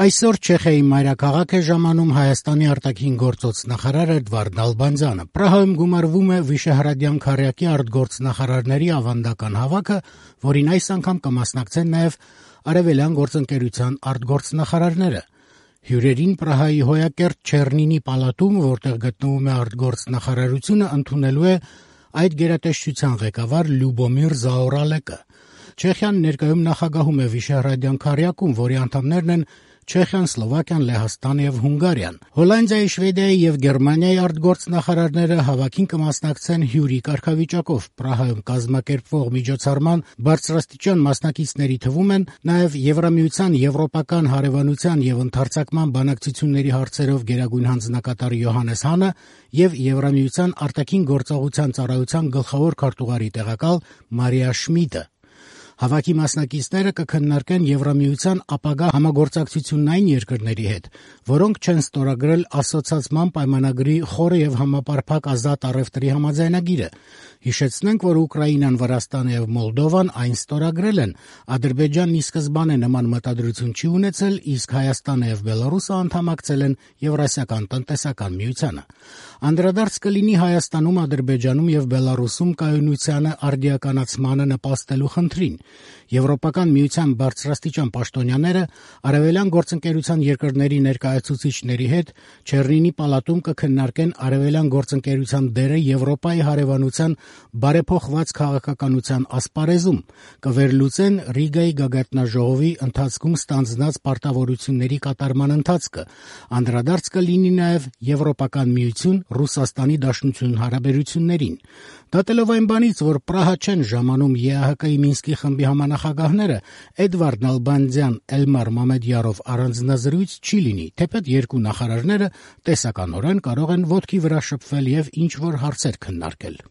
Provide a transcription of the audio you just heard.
Այսօր Չեխիայի մայրաքաղաք է ժամանում Հայաստանի արտաքին գործոց նախարար Էդվարդ Նալբանդյանը։ Պրահայում գումարվում է Վիշեհրադյան քառյակի արտգործնախարարների ավանդական հավաքը, որին այս անգամ կմասնակցեն նաև Արևելյան գործընկերության արտգործնախարարները։ Հյուրերին Պրահայի Հոյակերտ Չեռնինի պալատում, որտեղ գտնվում է արտգործնախարարությունը, ընդունելու է այդ գերատեսչության ղեկավար Լյուբոմիր Զաորալեկը։ Չեխիան ներկայում նախագահում է Վիշեհրադյան քառյակում, որի անդամներն են Չեխիան, Սլովակիան, Լեհաստանը եւ Հունգարիան։ Հոլանդիայի, Շվեդիայի եւ Գերմանիայի արտգործնախարարները հավաքին կմասնակցեն հյուրի կարգավիճակով։ Պրահայում կազմակերպվող միջոցառման բարձրաստիճան մասնակիցների թվում են նաեւ Եվրամիության եվրոպական հարևանության եւ ընդարձակման բանակցությունների հարցերով գերագույն հանձնակատար Յոհաննես Հանը եւ Եվրամիության արտաքին գործողության ծառայության գլխավոր քարտուղարի տեղակալ Մարիա Շմիդը։ Հավաքի մասնակիցները կքննարկեն Եվրամիության ապագա համագործակցությունային երկրների հետ, որոնք չեն ստորագրել ասոցիացիան պայմանագրի խորը եւ համապարփակ ազատ առևտրի համաձայնագիրը։ Հիշեցնենք, որ Ուկրաինան, Վրաստանը եւ Մոլդովան այն ստորագրել են։ Ադրբեջանն ի սկզբանե նման մտադրություն չի ունեցել, իսկ Հայաստանը եւ Բելարուսը անդամակցել են Եվրասիական տնտեսական միությանը։ Անդրադարձ կլինի Հայաստանում, Ադրբեջանում եւ Բելարուսում կայունությանը արդիականացմանը նպաստելու խնդրին։ Եվրոպական միության բարձրաստիճան պաշտոնյաները Արևելյան գործընկերության երկրների ներկայացուցիչների հետ Չեռնինի պալատում կքննարկեն Արևելյան գործընկերության դերը Եվրոպայի հարևանության բարեփոխված քաղաքականության ասպարեզում, կվերլուծեն Ռիգայի գագաթնաժողովի ընթացքում ստանձնած պարտավորությունների կատարման ընթացքը, անդրադարձ կլինի նաև Եվրոպական միություն Ռուսաստանի Դաշնություն հարաբերություններին։ Դատելով այն բանից, որ Պրահա չեն ժամանում ԵԱՀԿ-ի Մինսկի խմբի համանախագահները, Էդվարդ Նալբանդյան, Էլմար Մամեդյարով առանձնազրույց չի լինի, թեպետ երկու նախարարները տեսականորեն կարող են ոտքի վրա շփվել եւ ինչ-որ հարցեր քննարկել։